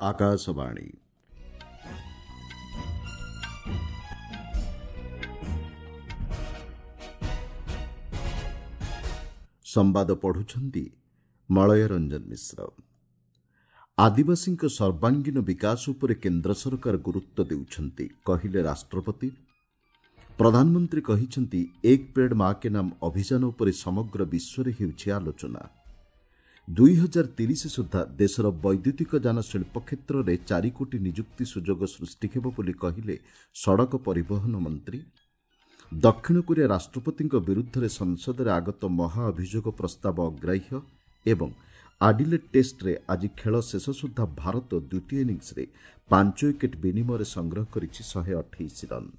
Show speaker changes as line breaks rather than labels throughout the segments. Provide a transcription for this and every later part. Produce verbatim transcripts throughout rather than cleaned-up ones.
ଆକାଶବାଣୀ। ସମ୍ବାଦ ପଢୁଛନ୍ତି ମଳୟ ରଞ୍ଜନ ମିଶ୍ର। ଆଦିବାସୀଙ୍କ ସର୍ବାଙ୍ଗୀନ ବିକାଶ ଉପରେ କେନ୍ଦ୍ର ସରକାର ଗୁରୁତ୍ୱ ଦେଉଛନ୍ତି, କହିଲେ ରାଷ୍ଟ୍ରପତି। ପ୍ରଧାନମନ୍ତ୍ରୀ କହିଛନ୍ତି, ଏକ ପେଡ୍ ମା କେ ନାମ ଅଭିଯାନ ଉପରେ ସମଗ୍ର ବିଶ୍ୱରେ ହେଉଛି ଆଲୋଚନା। ଦୁଇ ହଜାର ତିରିଶ ସୁଦ୍ଧା ଦେଶର ବୈଦ୍ୟୁତିକ ଯାନ ଶିଳ୍ପ କ୍ଷେତ୍ରରେ ଚାରି କୋଟି ନିଯୁକ୍ତି ସୁଯୋଗ ସୃଷ୍ଟି ହେବ ବୋଲି କହିଲେ ସଡ଼କ ପରିବହନ ମନ୍ତ୍ରୀ। ଦକ୍ଷିଣ କୋରିଆ ରାଷ୍ଟ୍ରପତିଙ୍କ ବିରୁଦ୍ଧରେ ସଂସଦରେ ଆଗତ ମହାଅଭିଯୋଗ ପ୍ରସ୍ତାବ ଅଗ୍ରାହ୍ୟ ଏବଂ ଆଡିଲେଡ୍ ଟେଷ୍ଟରେ ଆଜି ଖେଳ ଶେଷ ସୁଦ୍ଧା ଭାରତ ଦ୍ୱିତୀୟ ଇନିଂସରେ ପାଞ୍ଚ ୱିକେଟ୍ ବିନିମୟରେ ସଂଗ୍ରହ କରିଛି ଶହେ ଅଠେଇଶ ରନ୍।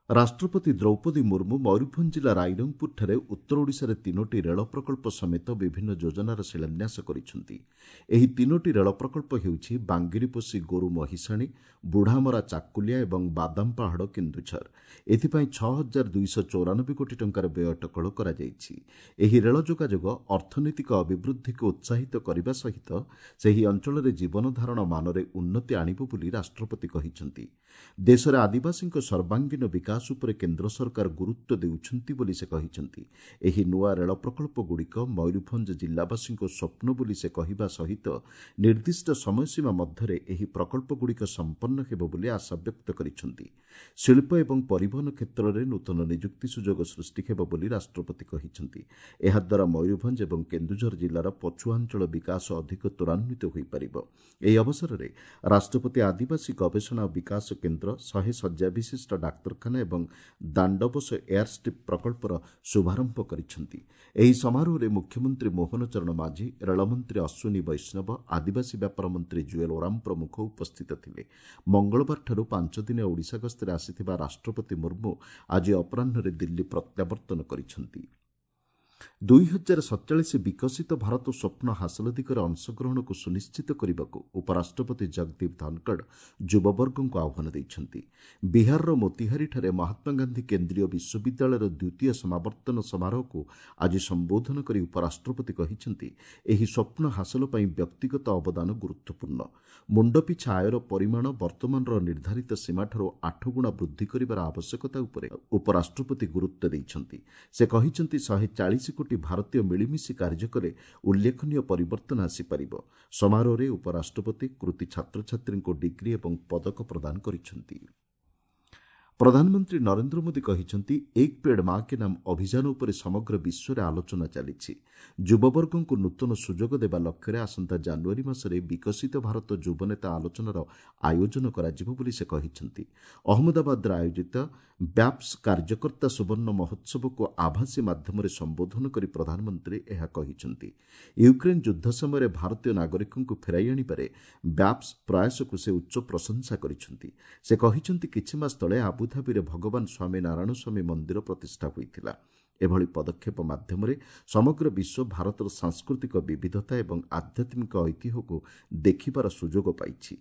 ରାଷ୍ଟ୍ରପତି ଦ୍ରୌପଦୀ ମୁର୍ମୁ ମୟୂରଭଞ୍ଜ ଜିଲ୍ଲା ରାଇରଙ୍ଗପୁରଠାରେ ଉତ୍ତର ଓଡ଼ିଶାରେ ତିନୋଟି ରେଳ ପ୍ରକଳ୍ପ ସମେତ ବିଭିନ୍ନ ଯୋଜନାର ଶିଳାନ୍ୟାସ କରିଛନ୍ତି। ଏହି ତିନୋଟି ରେଳ ପ୍ରକଳ୍ପ ହେଉଛି ବାଙ୍ଗିରିପୋଷି ଗୋରୁ ମହିଷାଣୀ, ବୁଢ଼ାମରା ଚାକୁଲିଆ ଏବଂ ବାଦାମପାହାଡ଼ କେନ୍ଦୁଝର। ଏଥିପାଇଁ ଛଅ ହଜାର ଦୁଇଶହ ଚଉରାନବେ କୋଟି ଟଙ୍କାର ବ୍ୟୟ ଅଟକଳ କରାଯାଇଛି। ଏହି ରେଳ ଯୋଗାଯୋଗ ଅର୍ଥନୈତିକ ଅଭିବୃଦ୍ଧିକୁ ଉତ୍ସାହିତ କରିବା ସହିତ ସେହି ଅଞ୍ଚଳରେ ଜୀବନଧାରଣ ମାନରେ ଉନ୍ନତି ଆଣିବ ବୋଲି ରାଷ୍ଟ୍ରପତି କହିଛନ୍ତି। ଦେଶରେ ଆଦିବାସୀଙ୍କ ସର୍ବାଙ୍ଗୀନ ବିକାଶ ଉପରେ କେନ୍ଦ୍ର ସରକାର ଗୁରୁତ୍ୱ ଦେଉଛନ୍ତି ବୋଲି ସେ କହିଛନ୍ତି। ଏହି ନୂଆ ରେଳ ପ୍ରକଳ୍ପଗୁଡ଼ିକ ମୟୂରଭଞ୍ଜ ଜିଲ୍ଲାବାସୀଙ୍କ ସ୍ୱପ୍ନ ବୋଲି ସେ କହିବା ସହିତ ନିର୍ଦ୍ଦିଷ୍ଟ ସମୟସୀମା ମଧ୍ୟରେ ଏହି ପ୍ରକଳ୍ପଗୁଡ଼ିକ ସମ୍ପନ୍ନ ହେବ ବୋଲି ଆଶା ବ୍ୟକ୍ତ କରିଛନ୍ତି। ଶିଳ୍ପ ଏବଂ ପରିବହନ କ୍ଷେତ୍ରରେ ନୂତନ ନିଯୁକ୍ତି ସୁଯୋଗ ସୃଷ୍ଟି ହେବ ବୋଲି ରାଷ୍ଟ୍ରପତି କହିଛନ୍ତି। ଏହାଦ୍ୱାରା ମୟୂରଭଞ୍ଜ ଏବଂ କେନ୍ଦୁଝର ଜିଲ୍ଲାର ପଛୁଆ ଅଞ୍ଚଳ ବିକାଶ ଅଧିକ ତ୍ୱରାନ୍ୱିତ ହୋଇପାରିବ। ଏହି ଅବସରରେ ରାଷ୍ଟ୍ରପତି ଆଦିବାସୀ ଗବେଷଣା ଓ ବିକାଶ କେନ୍ଦ୍ର, ଶହେ ଶଯ୍ୟା ବିଶିଷ୍ଟ ଡାକ୍ତରଖାନା ଏବଂ ଦାଣ୍ଡବୋଷ ଏୟାରଷ୍ଟ୍ରିପ୍ ପ୍ରକଳ୍ପର ଶୁଭାରମ୍ଭ କରିଛନ୍ତି। ଏହି ସମାରୋହରେ ମୁଖ୍ୟମନ୍ତ୍ରୀ ମୋହନ ଚରଣ ମାଝୀ, ରେଳମନ୍ତ୍ରୀ ଅଶ୍ୱିନୀ ବୈଷ୍ଣବ, ଆଦିବାସୀ ବ୍ୟାପାର ମନ୍ତ୍ରୀ ଜୁଏଲ ଓରାମ ପ୍ରମୁଖ ଉପସ୍ଥିତ ଥିଲେ। ମଙ୍ଗଳବାରଠାରୁ ପାଞ୍ଚଦିନିଆ ଓଡ଼ିଶା ଗସ୍ତରେ ଆସିଥିବା ରାଷ୍ଟ୍ରପତି ମୁର୍ମୁ ଆଜି ଅପରାହ୍ନରେ ଦିଲ୍ଲୀ ପ୍ରତ୍ୟାବର୍ତ୍ତନ କରିଛନ୍ତି। ଦୁଇ ହଜାର ସତଚାଳିଶ ବିକଶିତ ଭାରତ ସ୍ୱପ୍ନ ହାସଲ ଦିଗରେ ଅଂଶଗ୍ରହଣକୁ ସୁନିଶ୍ଚିତ କରିବାକୁ ଉପରାଷ୍ଟ୍ରପତି ଜଗଦୀପ ଧନଖଡ଼ ଯୁବବର୍ଗଙ୍କୁ ଆହ୍ୱାନ ଦେଇଛନ୍ତି। ବିହାରର ମୋତିହାରୀଠାରେ ମହାତ୍ମାଗାନ୍ଧୀ କେନ୍ଦ୍ରୀୟ ବିଶ୍ୱବିଦ୍ୟାଳୟର ଦ୍ୱିତୀୟ ସମାବର୍ତ୍ତନ ସମାରୋହକୁ ଆଜି ସମ୍ବୋଧନ କରି ଉପରାଷ୍ଟ୍ରପତି କହିଛନ୍ତି, ଏହି ସ୍ୱପ୍ନ ହାସଲ ପାଇଁ ବ୍ୟକ୍ତିଗତ ଅବଦାନ ଗୁରୁତ୍ୱପୂର୍ଣ୍ଣ। ମୁଣ୍ଡପିଛା ଆୟର ପରିମାଣ ବର୍ତ୍ତମାନର ନିର୍ଦ୍ଧାରିତ ସୀମାଠାରୁ ଆଠଗୁଣା ବୃଦ୍ଧି କରିବାର ଆବଶ୍ୟକତା ଉପରେ ଉପରାଷ୍ଟ୍ରପତି ଗୁରୁତ୍ୱ ଦେଇଛନ୍ତି। ସେ କହିଛନ୍ତି, ଶହେ ଚାଳିଶ କୋଟି ଭାରତୀୟ ମିଳିମିଶି କାର୍ଯ୍ୟ କଲେ ଉଲ୍ଲେଖନୀୟ ପରିବର୍ତ୍ତନ ଆସିପାରିବ। ସମାରୋହରେ ଉପରାଷ୍ଟ୍ରପତି କୃତି ଛାତ୍ରଛାତ୍ରୀଙ୍କୁ ଡିଗ୍ରୀ ଏବଂ ପଦକ ପ୍ରଦାନ କରିଛନ୍ତି। ପ୍ରଧାନମନ୍ତ୍ରୀ ନରେନ୍ଦ୍ର ମୋଦି କହିଛନ୍ତି, ଏକ ପେଡ୍ ମା କେ ନାମ ଅଭିଯାନ ଉପରେ ସମଗ୍ର ବିଶ୍ୱରେ ଆଲୋଚନା ଚାଲିଛି। ଯୁବବର୍ଗଙ୍କୁ ନୂତନ ସୁଯୋଗ ଦେବା ଲକ୍ଷ୍ୟରେ ଆସନ୍ତା ଜାନୁଆରୀ ମାସରେ ବିକଶିତ ଭାରତ ଯୁବନେତା ଆଲୋଚନାର ଆୟୋଜନ କରାଯିବ ବୋଲି ସେ କହିଛନ୍ତି। ଅହମ୍ମଦାବାଦରେ ଆୟୋଜିତ ବ୍ୟାପ୍ସ କାର୍ଯ୍ୟକର୍ତ୍ତା ସୁବର୍ଣ୍ଣ ମହୋତ୍ସବକୁ ଆଭାସୀ ମାଧ୍ୟମରେ ସମ୍ବୋଧନ କରି ପ୍ରଧାନମନ୍ତ୍ରୀ ଏହା କହିଛନ୍ତି। ୟୁକ୍ରେନ୍ ଯୁଦ୍ଧ ସମୟରେ ଭାରତୀୟ ନାଗରିକଙ୍କୁ ଫେରାଇ ଆଣିବାରେ ବ୍ୟାପ୍ସ ପ୍ରୟାସକୁ ସେ ଉଚ୍ଚ ପ୍ରଶଂସା କରିଛନ୍ତି। ସେ କହିଛନ୍ତି, କିଛି ମାସ ତଳେ ଆବୁଧାବିରେ ଭଗବାନ ସ୍ୱାମୀ ନାରାୟଣ ସ୍ୱାମୀ ମନ୍ଦିର ପ୍ରତିଷ୍ଠା ହୋଇଥିଲା। ଏଭଳି ପଦକ୍ଷେପ ମାଧ୍ୟମରେ ସମଗ୍ର ବିଶ୍ୱ ଭାରତର ସାଂସ୍କୃତିକ ବିବିଧତା ଏବଂ ଆଧ୍ୟାତ୍ମିକ ଐତିହ୍ୟକୁ ଦେଖିବାର ସୁଯୋଗ ପାଇଛି।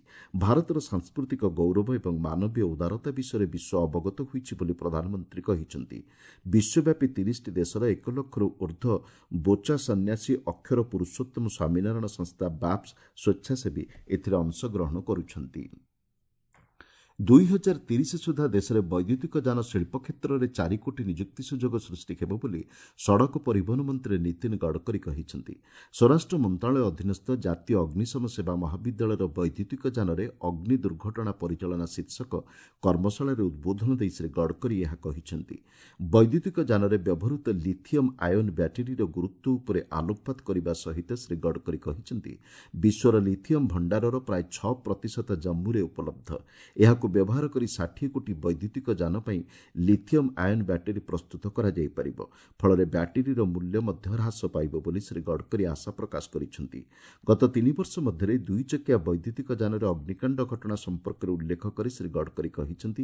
ଭାରତର ସାଂସ୍କୃତିକ ଗୌରବ ଏବଂ ମାନବୀୟ ଉଦାରତା ବିଷୟରେ ବିଶ୍ୱ ଅବଗତ ହୋଇଛି ବୋଲି ପ୍ରଧାନମନ୍ତ୍ରୀ କହିଛନ୍ତି। ବିଶ୍ୱବ୍ୟାପୀ ତିରିଶଟି ଦେଶର ଏକ ଲକ୍ଷରୁ ଉର୍ଦ୍ଧ୍ୱ ବୋଚା ସନ୍ନ୍ୟାସୀ ଅକ୍ଷର ପୁରୁଷୋତ୍ତମ ସ୍ୱାମୀନାରାୟଣ ସଂସ୍ଥା ବାପ୍ସ ସ୍ୱେଚ୍ଛାସେବୀ ଏଥିରେ ଅଂଶଗ୍ରହଣ କରୁଛନ୍ତି। ଦୁଇ ହଜାର ତିରିଶ ସୁଦ୍ଧା ଦେଶରେ ବୈଦ୍ୟୁତିକ ଯାନ ଶିଳ୍ପ କ୍ଷେତ୍ରରେ ଚାରି କୋଟି ନିଯୁକ୍ତି ସୁଯୋଗ ସୃଷ୍ଟି ହେବ ବୋଲି ସଡ଼କ ପରିବହନ ମନ୍ତ୍ରୀ ନୀତିନ ଗଡ଼କରୀ କହିଛନ୍ତି। ସ୍ୱରାଷ୍ଟ୍ର ମନ୍ତ୍ରଣାଳୟ ଅଧୀନସ୍ଥ ଜାତୀୟ ଅଗ୍ନିଶମ ସେବା ମହାବିଦ୍ୟାଳୟର ବୈଦ୍ୟୁତିକ ଯାନରେ ଅଗ୍ନି ଦୁର୍ଘଟଣା ପରିଚାଳନା ଶୀର୍ଷକ କର୍ମଶାଳାରେ ଉଦ୍ବୋଧନ ଦେଇ ଶ୍ରୀ ଗଡ଼କରୀ ଏହା କହିଛନ୍ତି। ବୈଦ୍ୟୁତିକ ଯାନରେ ବ୍ୟବହୃତ ଲିଥିୟମ୍ ଆୟନ୍ ବ୍ୟାଟେରୀର ଗୁରୁତ୍ୱ ଉପରେ ଆଲୋକପାତ କରିବା ସହିତ ଶ୍ରୀ ଗଡ଼କରୀ କହିଛନ୍ତି, ବିଶ୍ୱର ଲିଥିୟମ୍ ଭଣ୍ଡାରର ପ୍ରାୟ ଛଅ ପ୍ରତିଶତ ଜମ୍ମୁରେ ଉପଲବ୍ଧ। ଏହାକୁ ବ୍ୟବହାର କରି ଷାଠିଏ କୋଟି ବୈଦ୍ୟୁତିକ ଯାନ ପାଇଁ ଲିଥିୟମ୍ ଆୟନ୍ ବ୍ୟାଟେରୀ ପ୍ରସ୍ତୁତ କରାଯାଇପାରିବ। ଫଳରେ ବ୍ୟାଟେରୀର ମୂଲ୍ୟ ମଧ୍ୟ ହ୍ରାସ ପାଇବ ବୋଲି ଶ୍ରୀ ଗଡ଼କରୀ ଆଶା ପ୍ରକାଶ କରିଛନ୍ତି। ଗତ ତିନି ବର୍ଷ ମଧ୍ୟରେ ଦୁଇଚକିଆ ବୈଦ୍ୟୁତିକ ଯାନରେ ଅଗ୍ନିକାଣ୍ଡ ଘଟଣା ସମ୍ପର୍କରେ ଉଲ୍ଲେଖ କରି ଶ୍ରୀ ଗଡ଼କରୀ କହିଛନ୍ତି,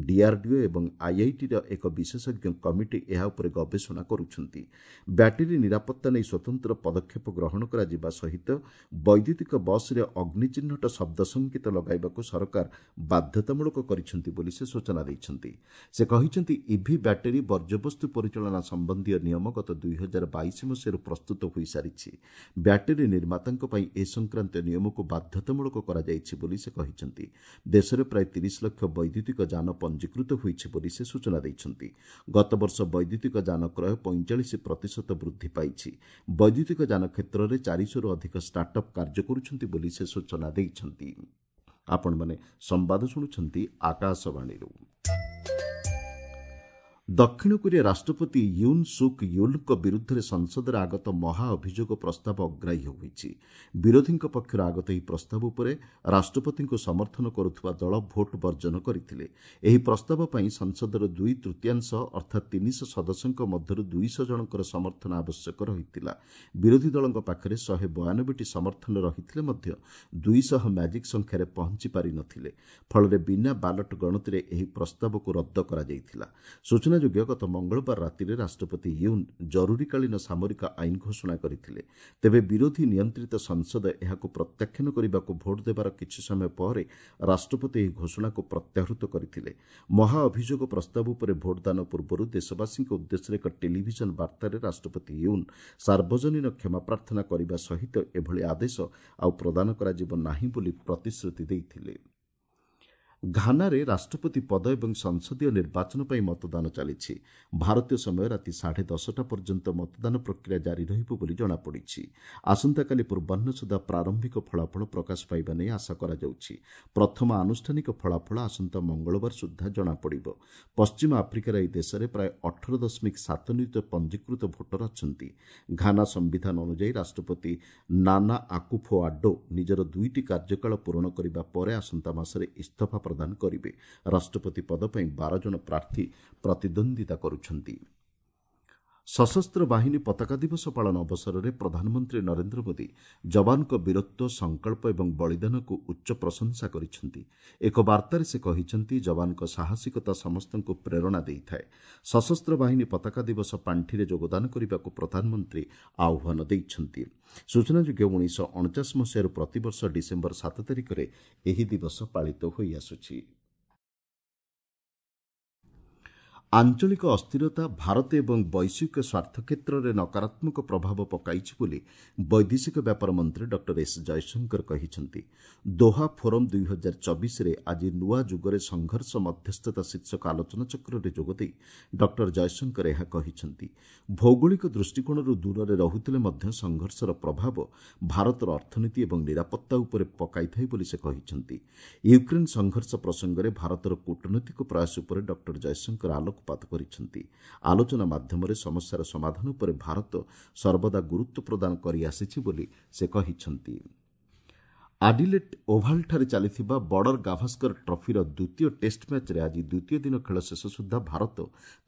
ଡିଆର୍ଡିଓ ଏବଂ ଆଇଆଇଟିର ଏକ ବିଶେଷଜ୍ଞ କମିଟି ଏହା ଉପରେ ଗବେଷଣା କରୁଛନ୍ତି। ବ୍ୟାଟେରୀ ନିରାପତ୍ତା ନେଇ ସ୍ୱତନ୍ତ୍ର ପଦକ୍ଷେପ ଗ୍ରହଣ କରାଯିବା ସହିତ ବୈଦ୍ୟୁତିକ ବସ୍ରେ ଅଗ୍ନି ଚିହ୍ନଟ ଶବ୍ଦ ସଂକେତ ଲଗାଇବାକୁ ସରକାର ବାଧ୍ୟତାମୂଳକ ବାଧ୍ୟତାମୂଳକ କରିଛନ୍ତି ବୋଲି ସେ ସୂଚନା ଦେଇଛନ୍ତି। ସେ କହିଛନ୍ତି, ଇଭି ବ୍ୟାଟେରୀ ବର୍ଜ୍ୟବସ୍ତୁ ପରିଚାଳନା ସମ୍ବନ୍ଧୀୟ ନିୟମ ଗତ ଦୁଇ ହଜାର ବାଇଶ ମସିହାରୁ ପ୍ରସ୍ତୁତ ହୋଇସାରିଛି। ବ୍ୟାଟେରୀ ନିର୍ମାତାଙ୍କ ପାଇଁ ଏ ସଂକ୍ରାନ୍ତୀୟ ନିୟମକୁ ବାଧ୍ୟତାମୂଳକ କରାଯାଇଛି ବୋଲି ସେ କହିଛନ୍ତି। ଦେଶରେ ପ୍ରାୟ ତିରିଶ ଲକ୍ଷ ବୈଦ୍ୟୁତିକ ଯାନ ପଞ୍ଜୀକୃତ ହୋଇଛି ବୋଲି ସେ ସୂଚନା ଦେଇଛନ୍ତି। ଗତବର୍ଷ ବୈଦ୍ୟୁତିକ ଯାନ କ୍ରୟ ପଇଁଚାଳିଶ ପ୍ରତିଶତ ବୃଦ୍ଧି ପାଇଛି। ବୈଦ୍ୟୁତିକ ଯାନ କ୍ଷେତ୍ରରେ ଚାରିଶହରୁ ଅଧିକ ଷ୍ଟାର୍ଟଅପ୍ କାର୍ଯ୍ୟ କରୁଛନ୍ତି ବୋଲି ସେ ସୂଚନା ଦେଇଛନ୍ତି। ଆପଣମାନେ ସମ୍ବାଦ ଶୁଣୁଛନ୍ତି ଆକାଶବାଣୀରୁ। ଦକ୍ଷିଣ କୋରିଆ ରାଷ୍ଟ୍ରପତି ୟୁନ୍ ସୁକ୍ ୟୁଲ୍ଙ୍କ ବିରୁଦ୍ଧରେ ସଂସଦରେ ଆଗତ ମହାଅଭିଯୋଗ ପ୍ରସ୍ତାବ ଅଗ୍ରାହ୍ୟ ହୋଇଛି। ବିରୋଧୀଙ୍କ ପକ୍ଷରୁ ଆଗତ ଏହି ପ୍ରସ୍ତାବ ଉପରେ ରାଷ୍ଟ୍ରପତିଙ୍କୁ ସମର୍ଥନ କରୁଥିବା ଦଳ ଭୋଟ ବର୍ଜନ କରିଥିଲେ। ଏହି ପ୍ରସ୍ତାବ ପାଇଁ ସଂସଦର ଦୁଇ ତୃତୀୟାଂଶ ଅର୍ଥାତ୍ ତିନିଶହ ସଦସ୍ୟଙ୍କ ମଧ୍ୟରୁ ଦୁଇଶହ ଜଣଙ୍କର ସମର୍ଥନ ଆବଶ୍ୟକ ରହିଥିଲା। ବିରୋଧୀ ଦଳଙ୍କ ପାଖରେ ଶହେ ବୟାନବେଟି ସମର୍ଥନ ରହିଥିଲେ ମଧ୍ୟ ଦୁଇଶହ ମ୍ୟାଜିକ୍ ସଂଖ୍ୟାରେ ପହଞ୍ଚି ପାରିନଥିଲେ। ଫଳରେ ବିନା ବାଲଟ ଗଣତିରେ ଏହି ପ୍ରସ୍ତାବକୁ ରଦ୍ଦ କରାଯାଇଥିଲା। ସୂଚନା ଯୋଗ୍ୟ, ଗତ ମଙ୍ଗଳବାର ରାତିରେ ରାଷ୍ଟ୍ରପତି ୟୁନ୍ ଜରୁରୀକାଳୀନ ସାମରିକ ଆଇନ ଘୋଷଣା କରିଥିଲେ। ତେବେ ବିରୋଧୀ ନିୟନ୍ତ୍ରିତ ସଂସଦ ଏହାକୁ ପ୍ରତ୍ୟାଖ୍ୟାନ କରିବାକୁ ଭୋଟ ଦେବାର କିଛି ସମୟ ପରେ ରାଷ୍ଟ୍ରପତି ଏହି ଘୋଷଣାକୁ ପ୍ରତ୍ୟାହୃତ କରିଥିଲେ। ମହାଅଭିଯୋଗ ପ୍ରସ୍ତାବ ଉପରେ ଭୋଟଦାନ ପୂର୍ବରୁ ଦେଶବାସୀଙ୍କ ଉଦ୍ଦେଶ୍ୟରେ ଏକ ଟେଲିଭିଜନ ବାର୍ତ୍ତାରେ ରାଷ୍ଟ୍ରପତି ୟୁନ୍ ସାର୍ବଜନୀନ କ୍ଷମା ପ୍ରାର୍ଥନା କରିବା ସହିତ ଏଭଳି ଆଦେଶ ଆଉ ପ୍ରଦାନ କରାଯିବ ନାହିଁ ବୋଲି ପ୍ରତିଶ୍ରୁତି ଦେଇଥିଲେ। ଘାନାରେ ରାଷ୍ଟ୍ରପତି ପଦ ଏବଂ ସଂସଦୀୟ ନିର୍ବାଚନ ପାଇଁ ମତଦାନ ଚାଲିଛି। ଭାରତୀୟ ସମୟ ରାତି ସାଢ଼େ ଦଶଟା ପର୍ଯ୍ୟନ୍ତ ମତଦାନ ପ୍ରକ୍ରିୟା ଜାରି ରହିବ ବୋଲି ଜଣାପଡ଼ିଛି। ଆସନ୍ତାକାଲି ପୂର୍ବାହ୍ନ ସୁଦ୍ଧା ପ୍ରାରମ୍ଭିକ ଫଳାଫଳ ପ୍ରକାଶ ପାଇବା ନେଇ ଆଶା କରାଯାଉଛି। ପ୍ରଥମ ଆନୁଷ୍ଠାନିକ ଫଳାଫଳ ଆସନ୍ତା ମଙ୍ଗଳବାର ସୁଦ୍ଧା ଜଣାପଡ଼ିବ। ପଶ୍ଚିମ ଆଫ୍ରିକାର ଏହି ଦେଶରେ ପ୍ରାୟ ଅଠର ଦଶମିକ ସାତ ନିୟୁତ ପଞ୍ଜୀକୃତ ଭୋଟର ଅଛନ୍ତି। ଘାନା ସମ୍ବିଧାନ ଅନୁଯାୟୀ ରାଷ୍ଟ୍ରପତି ନାନା ଆକୁଫୋ ଆଡୋ ନିଜର ଦୁଇଟି କାର୍ଯ୍ୟକାଳ ପୂରଣ କରିବା ପରେ ଆସନ୍ତା ମାସରେ ଇସ୍ତଫା ପ୍ରଦାନ କରିବେ। ରାଷ୍ଟ୍ରପତି ପଦ ପାଇଁ ବାର ଜଣ ପ୍ରାର୍ଥୀ ପ୍ରତିଦ୍ୱନ୍ଦ୍ୱିତା କରୁଛନ୍ତି। ସଶସ୍ତ୍ର ବାହିନୀ ପତାକା ଦିବସ ପାଳନ ଅବସରରେ ପ୍ରଧାନମନ୍ତ୍ରୀ ନରେନ୍ଦ୍ର ମୋଦି ଯବାନଙ୍କ ବୀରତ୍ୱ, ସଂକଳ୍ପ ଏବଂ ବଳିଦାନକୁ ଉଚ୍ଚ ପ୍ରଶଂସା କରିଛନ୍ତି। ଏକ ବାର୍ତ୍ତାରେ ସେ କହିଛନ୍ତି, ଯବାନଙ୍କ ସାହସିକତା ସମସ୍ତଙ୍କୁ ପ୍ରେରଣା ଦେଇଥାଏ। ସଶସ୍ତ୍ର ବାହିନୀ ପତାକା ଦିବସ ପାଣ୍ଠିରେ ଯୋଗଦାନ କରିବାକୁ ପ୍ରଧାନମନ୍ତ୍ରୀ ଆହ୍ୱାନ ଦେଇଛନ୍ତି। ସୂଚନାଯୋଗ୍ୟ, ଉଣେଇଶହ ଅଣଚାଶ ମସିହାରୁ ପ୍ରତିବର୍ଷ ଡିସେମ୍ବର ସାତ ତାରିଖରେ ଏହି ଦିବସ ପାଳିତ ହୋଇଆସୁଛି। ଆଞ୍ଚଳିକ ଅସ୍ଥିରତା ଭାରତ ଏବଂ ବୈଶ୍ୱିକ ସ୍ୱାର୍ଥ କ୍ଷେତ୍ରରେ ନକାରାତ୍ମକ ପ୍ରଭାବ ପକାଇଛି ବୋଲି ବୈଦେଶିକ ବ୍ୟାପାର ମନ୍ତ୍ରୀ ଡକ୍ଟର ଏସ୍ ଜୟଶଙ୍କର କହିଛନ୍ତି। ଦୋହା ଫୋରମ୍ ଦୁଇ ହଜାର ଚବିଶରେ ଆଜି ନୂଆ ଯୁଗରେ ସଂଘର୍ଷ ମଧ୍ୟସ୍ଥତା ଶୀର୍ଷକ ଆଲୋଚନାଚକ୍ରରେ ଯୋଗଦେଇ ଡକ୍ଟର ଜୟଶଙ୍କର ଏହା କହିଛନ୍ତି। ଭୌଗୋଳିକ ଦୃଷ୍ଟିକୋଣରୁ ଦୂରରେ ରହୁଥିଲେ ମଧ୍ୟ ସଂଘର୍ଷର ପ୍ରଭାବ ଭାରତର ଅର୍ଥନୀତି ଏବଂ ନିରାପତ୍ତା ଉପରେ ପକାଇଥାଏ ବୋଲି ସେ କହିଛନ୍ତି। ୟୁକ୍ରେନ୍ ସଂଘର୍ଷ ପ୍ରସଙ୍ଗରେ ଭାରତର କୂଟନୈତିକ ପ୍ରୟାସ ଉପରେ ଡକ୍ଟର ଜୟଶଙ୍କର ଆଲୋକ ଆଲୋକପାତ କରିଛନ୍ତି। ଆଲୋଚନା ମାଧ୍ୟମରେ ସମସ୍ୟାର ସମାଧାନ ଉପରେ ଭାରତ ସର୍ବଦା ଗୁରୁତ୍ୱ ପ୍ରଦାନ କରିଆସିଛି ବୋଲି ସେ କହିଛନ୍ତି। ଆଡିଲେଟ୍ ଓଭାଲଠାରେ ଚାଲିଥିବା ବର୍ଡର ଗାଭାସ୍କର ଟ୍ରଫିର ଦ୍ୱିତୀୟ ଟେଷ୍ଟ ମ୍ୟାଚ୍ରେ ଆଜି ଦ୍ୱିତୀୟ ଦିନ ଖେଳ ଶେଷ ସୁଦ୍ଧା ଭାରତ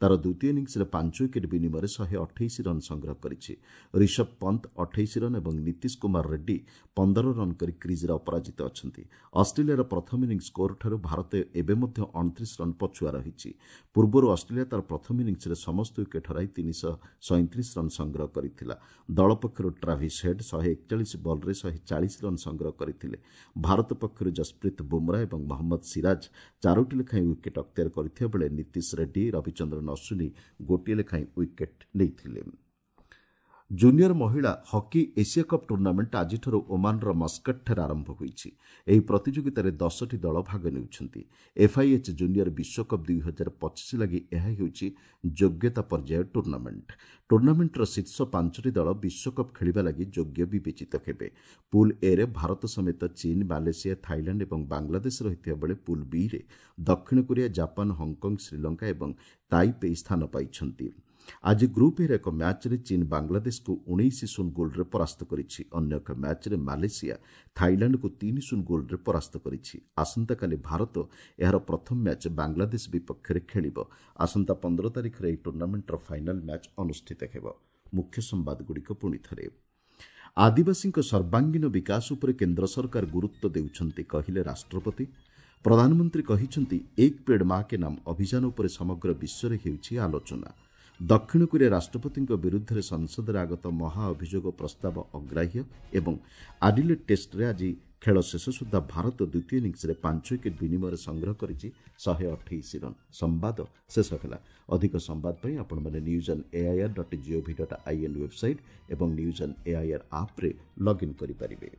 ତା'ର ଦ୍ୱିତୀୟ ଇନିଂସରେ ପାଞ୍ଚ ୱିକେଟ୍ ବିନିମୟରେ ଶହେ ଅଠେଇଶ ରନ୍ ସଂଗ୍ରହ କରିଛି। ରିଷଭ ପନ୍ତ ଅଠେଇଶ ରନ୍ ଏବଂ ନୀତିଶ କୁମାର ରେଡ୍ଡି ପନ୍ଦର ରନ୍ କରି କ୍ରିଜ୍ରେ ଅପରାଜିତ ଅଛନ୍ତି। ଅଷ୍ଟ୍ରେଲିଆର ପ୍ରଥମ ଇନିଂସ ସ୍କୋରଠାରୁ ଭାରତ ଏବେ ମଧ୍ୟ ଅଣତିରିଶ ରନ୍ ପଛୁଆ ରହିଛି। ପୂର୍ବରୁ ଅଷ୍ଟ୍ରେଲିଆ ତା'ର ପ୍ରଥମ ଇନିଂସରେ ସମସ୍ତ ୱିକେଟ୍ ହରାଇ ତିନିଶହ ସଇଁତିରିଶ ରନ୍ ସଂଗ୍ରହ କରିଥିଲା। ଦଳ ପକ୍ଷରୁ ଟ୍ରାଭିସ୍ ହେଡ୍ ଶହେ ଏକଚାଳିଶ ବଲ୍ରେ ଶହେ ଚାଳିଶ ରନ୍ ସଂଗ୍ରହ କରିଥିଲେ। ଭାରତ ପକ୍ଷରୁ ଜସପ୍ରୀତ ବୁମରା ଏବଂ ମହମ୍ମଦ ସିରାଜ ଚାରୋଟି ଲେଖାଏଁ ୱିକେଟ୍ ଅକ୍ତିଆର କରିଥିବା ବେଳେ ନୀତିଶ ରେଡ୍ଡି, ରବିଚନ୍ଦ୍ରନ ଅଶ୍ୱିନୀ ଗୋଟିଏ ଲେଖାଏଁ ୱିକେଟ୍ ନେଇଥିଲେ। ଜୁନିୟର ମହିଳା ହକି ଏସିଆ କପ୍ ଟୁର୍ଣ୍ଣାମେଣ୍ଟ ଆଜିଠାରୁ ଓମାନର ମସ୍କଟଠାରେ ଆରମ୍ଭ ହୋଇଛି। ଏହି ପ୍ରତିଯୋଗିତାରେ ଦଶଟି ଦଳ ଭାଗ ନେଉଛନ୍ତି। ଏଫ୍ଆଇଏଚ୍ ଜୁନିୟର ବିଶ୍ୱକପ୍ ଦୁଇ ହଜାର ପଚିଶ ଲାଗି ଏହା ହେଉଛି ଯୋଗ୍ୟତା ପର୍ଯ୍ୟାୟ ଟୁର୍ଣ୍ଣାମେଣ୍ଟ। ଟୁର୍ଣ୍ଣାମେଣ୍ଟର ଶୀର୍ଷ ପାଞ୍ଚଟି ଦଳ ବିଶ୍ୱକପ୍ ଖେଳିବା ଲାଗି ଯୋଗ୍ୟ ବିବେଚିତ ହେବେ। ପୁଲ୍ ଏରେ ଭାରତ ସମେତ ଚୀନ, ମାଲେସିଆ, ଥାଇଲାଣ୍ଡ ଏବଂ ବାଂଲାଦେଶ ରହିଥିବା ବେଳେ ପୁଲ୍ ବିରେ ଦକ୍ଷିଣ କୋରିଆ, ଜାପାନ, ହଂକଂ, ଶ୍ରୀଲଙ୍କା ଏବଂ ତାଇପେଇ ସ୍ଥାନ ପାଇଛନ୍ତି। ଆଜି ଗ୍ରୁପ୍ ଏର ଏକ ମ୍ୟାଚ୍ରେ ଚୀନ ବାଂଲାଦେଶକୁ ଉଣେଇଶ ଶୂନ ଗୋଲ୍ରେ ପରାସ୍ତ କରିଛି। ଅନ୍ୟ ଏକ ମ୍ୟାଚ୍ରେ ମାଲେସିଆ ଥାଇଲାଣ୍ଡକୁ ତିନି ଶୂନ ଗୋଲ୍ରେ ପରାସ୍ତ କରିଛି। ଆସନ୍ତାକାଲି ଭାରତ ଏହାର ପ୍ରଥମ ମ୍ୟାଚ୍ ବାଂଲାଦେଶ ବିପକ୍ଷରେ ଖେଳିବ। ଆସନ୍ତା ପନ୍ଦର ତାରିଖରେ ଏହି ଟୁର୍ଣ୍ଣାମେଣ୍ଟର ଫାଇନାଲ୍ ମ୍ୟାଚ୍ ଅନୁଷ୍ଠିତ ହେବ। ମୁଖ୍ୟ ସମ୍ବାଦଗୁଡ଼ିକ ପୁଣି ଥରେ। ଆଦିବାସୀଙ୍କ ସର୍ବାଙ୍ଗୀନ ବିକାଶ ଉପରେ କେନ୍ଦ୍ର ସରକାର ଗୁରୁତ୍ୱ ଦେଉଛନ୍ତି, କହିଲେ ରାଷ୍ଟ୍ରପତି। ପ୍ରଧାନମନ୍ତ୍ରୀ କହିଛନ୍ତି, ଏକ ପେଡ୍ ମା କେ ନାମ ଅଭିଯାନ ଉପରେ ସମଗ୍ର ବିଶ୍ୱରେ ହେଉଛି ଆଲୋଚନା। ଦକ୍ଷିଣ କୋରିଆ ରାଷ୍ଟ୍ରପତିଙ୍କ ବିରୁଦ୍ଧରେ ସଂସଦରେ ଆଗତ ମହାଅଭିଯୋଗ ପ୍ରସ୍ତାବ ଅଗ୍ରାହ୍ୟ ଏବଂ ଆଡିଲେଟ୍ ଟେଷ୍ଟରେ ଆଜି ଖେଳ ଶେଷ ସୁଦ୍ଧା ଭାରତ ଦ୍ୱିତୀୟ ଇନିଂସରେ ପାଞ୍ଚ ୱିକେଟ୍ ବିନିମୟରେ ସଂଗ୍ରହ କରିଛି ଶହେ ଅଠେଇଶ ରନ୍। ସମ୍ବାଦ ଶେଷ ହେଲା। ଅଧିକ ସମ୍ବାଦ ପାଇଁ ଆପଣମାନେ news on AIR dot GOV dot IN website ଏବଂ ନ୍ୟୁଜ୍ ଅନ୍ ଏଆଇଆର୍ ଆପ୍ରେ ଲଗ୍ଇନ୍ କରିପାରିବେ।